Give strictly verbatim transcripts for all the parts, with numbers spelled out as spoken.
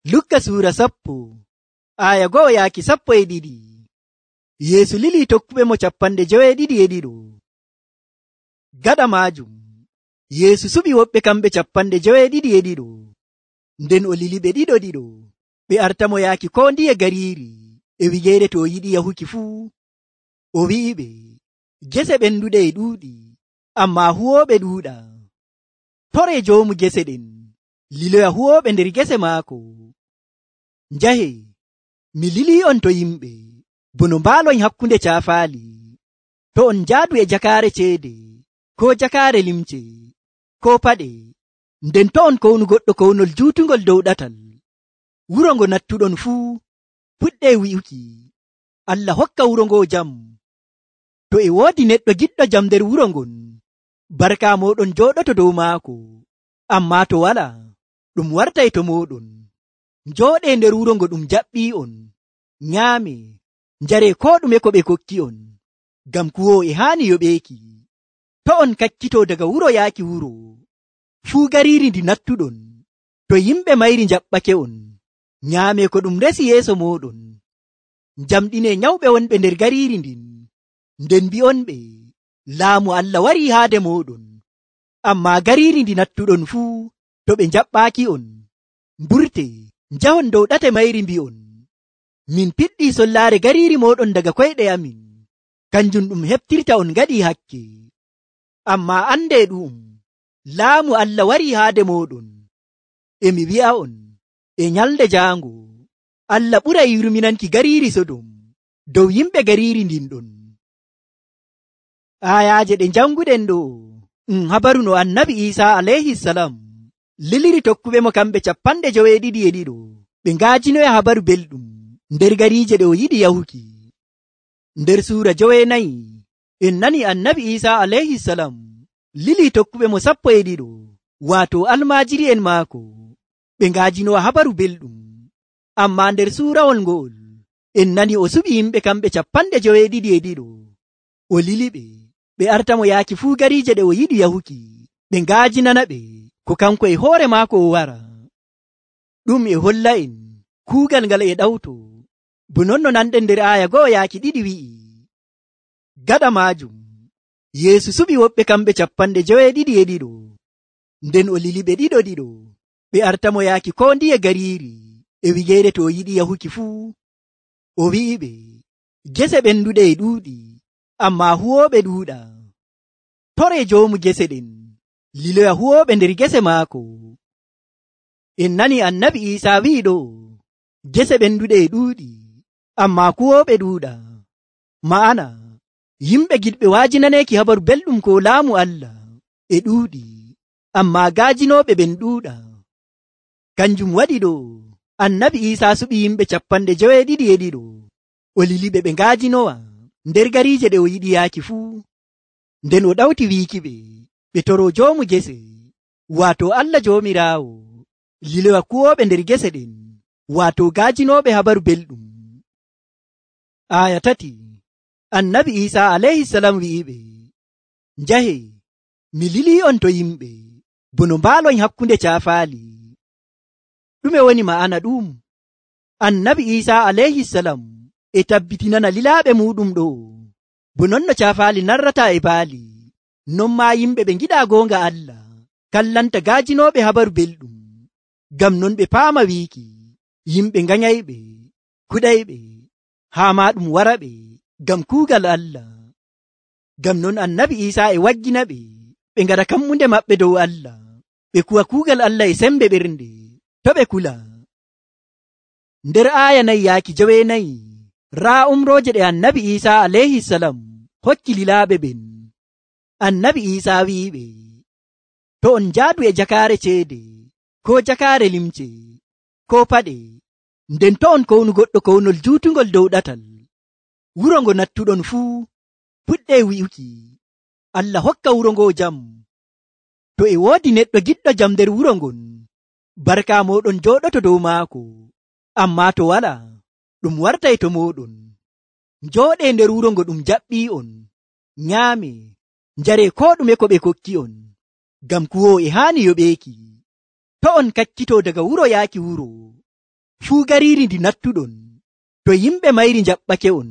Lukka suura sappo aya go'o yaaki sappo e ɗiɗi. Yeesu lili tokkuɓe mo capanɗe joweeɗiɗi e ɗiɗo. Gaɗa maajum Yeesu suɓi woɓɓe kamɓe capanɗe joweeɗiɗi e ɗiɗo. Nden o lili ɓe ɗiɗo ɗiɗo ɓe artamo yaaki ko ndiye gariiri e wigeere to o yiɗi yahuki fuu. O wi'iɓe, gese ɓenduɗe e ɗuuɗi, ammaa huwooɓe ɗuuɗa. Toree joomu gese ɗen liloya huwooɓe nder gese maako. Njahe, mi lilii on to yimɓe bono mbaaloy hakkunde caafaali. To on njaadu e jakaare ceede, ko jakaare limce, ko paɗe, nden to on kownu goɗɗo kownol juutungol dow ɗatal, wuro ngo nattuɗon fuu puɗɗee wi'uki, Allah hokka wuro ngo jam. To e woodi neɗɗo giɗɗo jam nder wuro ngon, barka mooɗon jooɗoto dow maako. Ammaa to walaa, ɗum wartay to mooɗon. Njooɗee nder wuro ngo ɗum jaɓɓii'on, nyaame, njaree koo ɗume ko ɓe kokki on, ngam kuwoowo e haani yoɓeeki. To on kakkitoo daga wuro yaaki wuro, fuu gariiri ndi nattuɗon, to yimɓe mayri njaɓɓake on, nyaame ko ɗum resi yeeso mooɗon. Njamɗinee nyawɓe wonɓe nder gariiri ndin, nden mbi'onɓe, laamu Allah warii haade mooɗon. Ammaa gariiri ndi nattuɗon fuu, to ɓe njaɓɓaaki on, mburtee, njahon dow ɗate mayri mbi'on, min piɗɗii sollaare gariiri mooɗon daga koyɗe amin, kanjum ɗum heɓtirta on ngaɗii hakke. Ammaa andee ɗu'um, laamu Allah warii haade mooɗon. E mi wi'a'on, e nyalnde jaango, Allah ɓuray yurminanki gariiri Sodom dow yimɓe gariiri ndin ɗon. Aayaaje ɗe janguɗen ɗo um habaru no annabi Iisaa alayhi salam liliri tokkuɓe mo kamɓe capanɗe joweeɗiɗi e ɗiɗo ɓe ngaajinoya habaru belɗum nder gariije ɗe o yiɗi yahuki. Nder suura joweenayi en nani annabi Iisaa alayhi salam lili tokkuɓe mo sappo e ɗiɗo, waato almaajiri en maako, ɓe ngaajinowa habaru belɗum. Ammaa nder suurawol ngo'ol en nani o suɓi yimɓe kamɓe capanɗe joweeɗiɗi e ɗiɗo. O lili ɓe ɓe artamo yaaki fuu gariije ɗe o yiɗi yahuki, ɓe ngaajinana ɓe ko kanko e hoore maako o wara. Ɗum e holla en kuugal ngal e ɗawto, bo non no nanɗen nder aaya go'o yaaki ɗiɗi wi'i. Gaɗa maajum Yeesu suɓi woɓɓe kamɓe capanɗe joweeɗiɗi e ɗiɗo. Nden o lili ɓe ɗiɗo ɗiɗo ɓe artamo yaaki ko ndiye gariiri e wigeere to o yiɗi yahuki fuu. O wi'iɓe, gese ɓenduɗe e ɗuuɗi, ammaa huwooɓe ɗuuɗa. Toree joomu gese ɗen liloya huwooɓe nder gese maako. En nani annabi Iisaa wi'i ɗo, gese ɓenduɗe e ɗuuɗi, ammaa kuwooɓe ɗuuɗa. Ma'ana, yimɓe giɗɓe waajinaneeki habaru belɗum ko laamu Allah e ɗuuɗi, ammaa gaajinooɓe ɓen ɗuuɗa. Kanjum waɗi ɗo annabi Iisaa suɓi yimɓe capanɗe joweeɗiɗi e ɗiɗo, o liliɓe ɓe ngaajinowa nder gariije ɗe o yiɗi yaaki fuu. Nden o ɗawti wiiki ɓe ɓe toroo joomu gese, waato Allah Joomiraawo, liloya kuwooɓe nder gese ɗen, waato gaajinooɓe habaru belɗum. Aaya tati annabi Iisaa alayhi salam wi'iɓe, njahe, mi lilii on to yimɓe bono mbaaloy hakkunde caafaali. Ɗume woni ma'ana ɗum? Annabi Iisaa alayhi salam e tabbitinana lilaaɓe muɗum ɗo, bo non no caafaali narrata e baali, non maa yimɓe ɓe ngiɗaa goonga Allah kallanta gaajinooɓe habaru belɗum. Ngam non ɓe paama wiiki, yimɓe nganyayɓe, kuɗayɓe, haa maa ɗum wara ɓe ngam kuugal Allah. Ngam non annabi Iisaa e waggina ɓe ɓe ngaɗa kammunde maɓɓe dow Allah, ɓe kuwa kuugal Allah e sembe ɓernde, to ɓe kula. Nder aaya nayi yaaki joweenayi, raa umrooje ɗe annabi Iisaa alayhi salam hokki lilaaɓe ɓen. Annabi Iisaa wi'iɓe, to on njaadu e jakaare ceede, ko jakaare limce, ko paɗe, nden to on kownu goɗɗo kownol juutungol dow ɗatal, wuro ngo nattuɗon fuu puɗɗee wi'uki, Allah hokka wuro ngo jam. To e woodi neɗɗo giɗɗo jam nder wuro ngon, barka mooɗon jooɗoto dow maako. Ammaa to walaa, ɗum wartay to mooɗon. Njooɗee nder wuro ngo ɗum jaɓɓii'on, nyaame, njaree koo ɗume ko ɓe kokki on, ngam kuwoowo e haani yoɓeeki. To on kakkitoo daga wuro yaaki wuro, fuu gariiri ndi nattuɗon, to yimɓe mayri njaɓɓake on,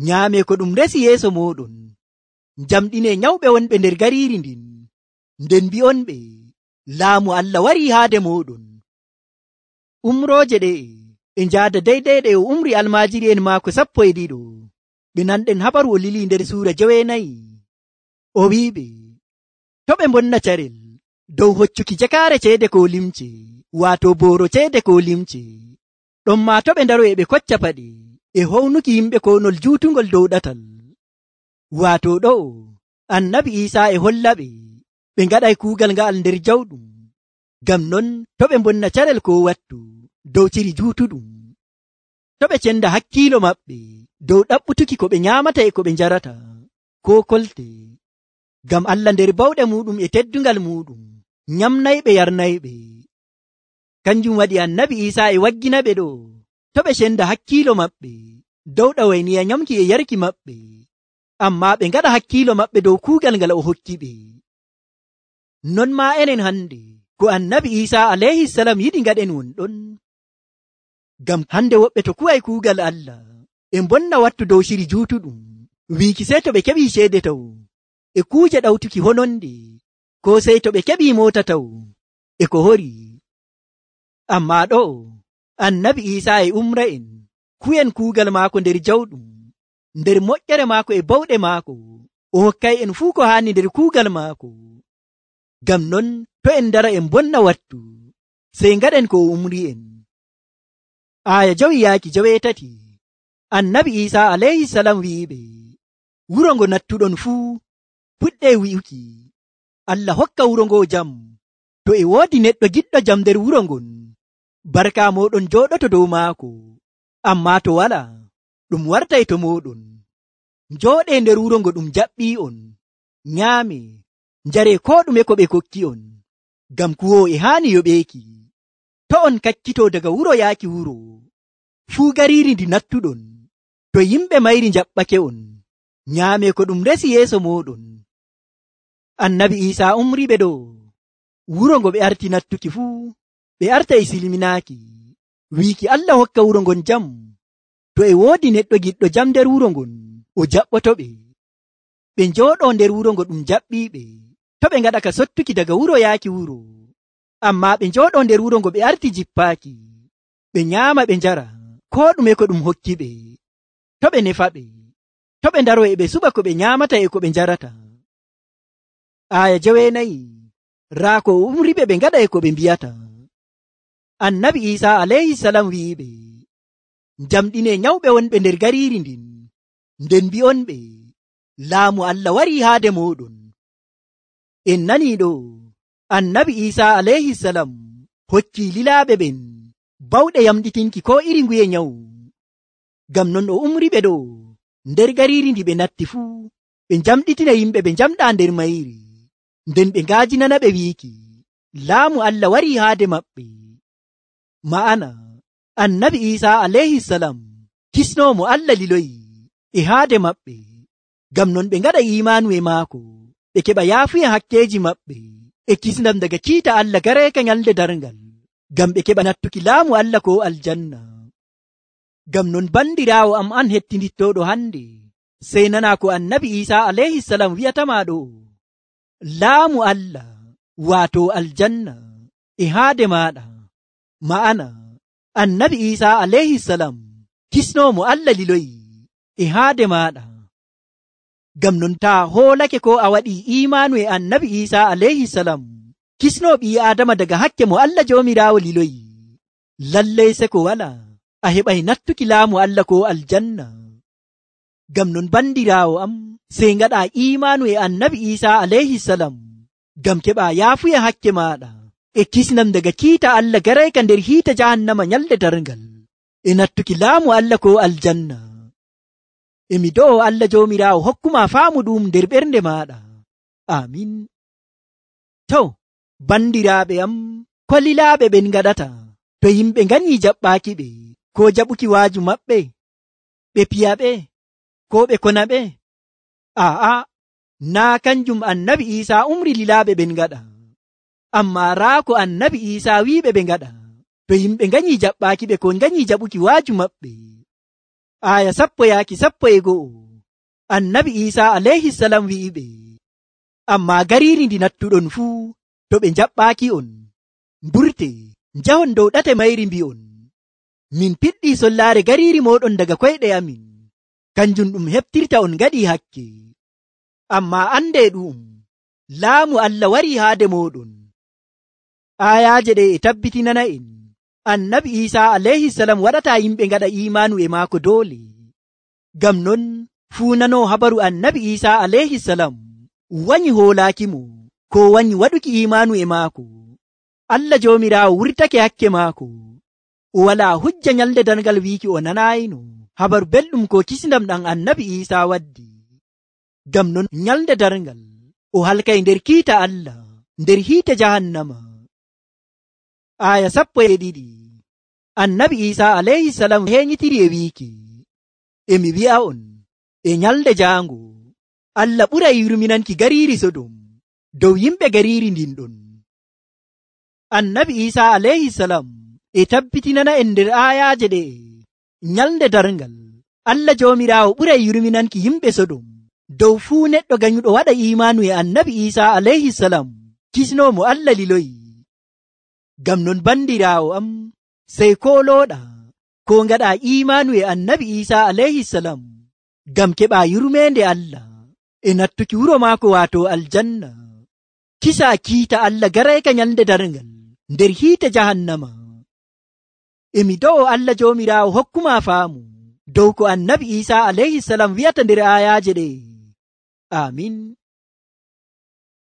nyaame ko ɗum resi yeeso mooɗon, njamɗine nyawɓe wonɓe nder gariiri ndin, nden mbi'onɓe, laamu Allah warii haade mooɗon. Umrooje ɗe e njaada deydey ɗe o umri almaajiri'en maako sappo e ɗiɗo, ɓe nanɗen habaru o lili nder suura joweenayi. O wi'iɓe, to ɓe mbonna carel dow hoccuki jakaare ceede ko limce, waato booro ceede ko limce, ɗon maa to ɓe ndaro e ɓe kocca paɗe e hownuki yimɓe konol juutungol dow ɗatal. Waato ɗo annabi Iisaa e hollaɓe ɓe ngaɗay kuugal nga'al nder jawɗum, ngam non to ɓe mbonna carel ko wattu dow ciri juutuɗum, to ɓe cenda hakkiilo maɓɓe dow ɗaɓɓutuki ko ɓe nyaamata e ko ɓe njarata, ko kolte, ngam Allah nder bawɗe muɗum e teddungal muɗum nyamnayɓe yarnayɓe. Kanjum waɗi annabi Iisaa e waggina ɓe ɗo to ɓe cenda hakkiilo maɓɓe dow ɗawayniya nyamki e yarki maɓɓe, amma ɓe ngaɗa hakkiilo maɓɓe dow kuugal ngal o hokki ɓe. Non maa enen hande ko annabi Iisaa alayhisalam yiɗi ngaɗen won ɗon, ngam hande woɓɓe to kuway kuugal Allah e mbonna wattu dow ciri juutuɗum, wiiki sey to ɓe keɓii ceede taw e kuuje ɗawtuki hononde, ko sey to ɓe keɓii moota taw e ko hori. Amma ɗo annabi Iisaa e umra en kuyen kuugal maako nder jawɗum, nder moƴƴere maako e bawɗe maako, o hokkay en fuu ko haani nder kuugal maako. Ngam non to en ndara en bonna wattu, sey ngaɗen ko o umri en. Aya jawi yaaki jaweetati, annabi Iisaa alayhisalam wi'iɓe, wuro ngo nattuɗon fuu puɗɗe wi'uki, Allah hokka wuro ngo jam. To e woodi neɗɗo giɗɗo jam nder wuro ngon, barka moɗon jooɗoto dow maako, amma to wala, ɗum wartay to moɗon. Njooɗe nder wuro ngo ɗum jaɓɓii on, nyaame, njare ko ɗume ko ɓe kokki on, ngam kuwo e haani yoɓeeki. To on kakkito daga wuro yaaki wuro, fuu gariiri ndi nattuɗon, to yimɓe mayri njaɓɓake on, nyaame ko ɗum resi yeeso moɗon. Annabi Iisaa umri ɓe ɗo wuro ngo ɓe arti nattuki fuu, ɓe arta e silminaaki, wiiki Allah hokka wuro ngon jam. To e woodi neɗɗo giɗɗo jam nder wuro ngon, o jaɓɓoto ɓe. Ɓe njooɗo nder wuro ngo ɗum jaɓɓiiɓe, to ɓe ngaɗa ka sottuki daga wuro yaaki wuro, amma ɓe njooɗo nder wuro ngo ɓe arti jippaaki, ɓe nyaama ɓe njara ko ɗume ko ɗum hokki ɓe, to ɓe nefa ɓe, to ɓe ndaro e ɓe suɓa ko ɓe nyaamata e ko ɓe njarata. Aya joweenayi, raa ko o umri ɓe ɓe ngaɗa e ko ɓe mbiyata. Annabi Iisaa alayhisalam wi'iɓe, njamɗine nyawɓe wonɓe nder gariiri ndin, nden mbi'onɓe, laamu Allah warii haade mooɗon. En nanii ɗo annabi Iisaa alayhisalam hokki lilaaɓe ɓen bawɗe yamɗitinki ko iri nguye nyawu. Ngam non o umri ɓe ɗo nder gariiri ndi ɓe natti fuu, ɓe njamɗitina yimɓe ɓe njamɗaa nder mayri, nden ɓe ngaajinana ɓe wiiki, laamu Allah warii haade maɓɓe. Ma'ana annabi Iisaa alayhisalam kisnoomo Allah liloyi e haade maɓɓe, ngam non ɓe ngaɗa imaanu e maako, ɓe keɓa yaafuya hakkeeji maɓɓe e kisnam daga kiita Allah gareeka nyalde darngal, ngam ɓe keɓa nattuki laamu Allah ko aljanna. Ngam non bandiraawo am an hettinittooɗo hande, sey nana ko annabi Iisaa alayhisalam wi'atama ɗo, laamu Allah waato aljanna e haade maaɗa. Ma'ana annabi Iisaa alayhisalam kisnoomo Allah liloyi e haade maaɗa. Ngam non taa hoolake ko a waɗi imaanu e annabi Iisaa alayhisalam kisnoo ɓii Aadama daga hakke mo Allah joomiraawo liloyi, lallay se ko wala a heɓay nattuki laamu Allah ko aljanna. Ngam non bandiraawo am, sey ngaɗa imaanu e annabi Iisaa alayhisalam, ngam keɓa yaafuya hakke maaɗa e kisnam daga kiita Allah garayka nder hiita jahannama nyalde darngal, e nattuki laamu Allah ko aljanna. Emi do'o Allah joomiraawo hokkuma faamu ɗum nder ɓernde maaɗa. Amin. To, bandiraaɓe am, ko lilaaɓe ɓen ngaɗata to yimɓe nganii jaɓɓaaki ɓe, ko jaɓuki waaju maɓɓe, ɓe piya ɓe, ko ɓe kona ɓe? Aa, naa kanjum annabi Iisaa umri lilaaɓe ɓen ngaɗa, amma raa ko annabi Iisaa wiiɓe ɓe ngaɗa, to yimɓe nganyi jaɓɓaaki ɓe ko nganyi jaɓuki waaju maɓɓe. Aya sappo yaaki sappo e go'o. Annabi Isa alayhi salam wi'iɓe, amma gariiri ndi nattuɗon fuu to ɓe jaɓɓaaki on, mburte njahon dow ɗate mayri mbi'on, min piɗɗi sollaare gariiri moɗon daga koyɗe amin, kanjum ɗum heftirta on ngaɗi hakke. Amma ande ɗum laamu Allah wari haade moɗon. Ayaaje ɗe e tabbitinana en annabi Isa alayhi salam waɗata yimɓe ngaɗa imanu e maako doole. Ngam non fuu nano habaru annabi Isa alayhi salam wanyi hoolaakimo ko wanyi waɗuki imanu e maako. Allah joomiraawo wurtake hakke maako. O wala hujja nyalde darngal wiiki o nanayino habaru belɗum ko kisndam ɗam annabi Isa waddi. Ngam non nyalde darngal o halkay nder kiita Allah nder hiite jahannama. Aya sappo e ɗiɗi. Annabi Isa alayhi salam henyitiri e wiiki, emi wi'a on e nyalde jaango Allah ɓuray yurminanki gariiri Sodom dow yimɓe gariiri ndin ɗon. Annabi Isa alayhi salam e tabbitinana en nder ayaaje ɗe nyalde darngal Allah joomiraawo ɓuray yurminanki yimɓe Sodom dow fuu neɗɗo ganyuɗo waɗa imanu e annabi Isa alayhi salam kisnomo Allah liloyi. Ngam non bandiraawo am, sey kolooɗa ko ngaɗa imanu e annabi Isa alayhi salam ngam keɓa yurmende Allah e nattuki wuro maako waato aljanna. Kisa kiita Allah garayka nyalde darngal nder hiite jahannama. Emi do'o Allah joomiraawo hokkuma faamu dow ko annabi Isa alayhi salam wi'ata nder ayaaje ɗe. Amin.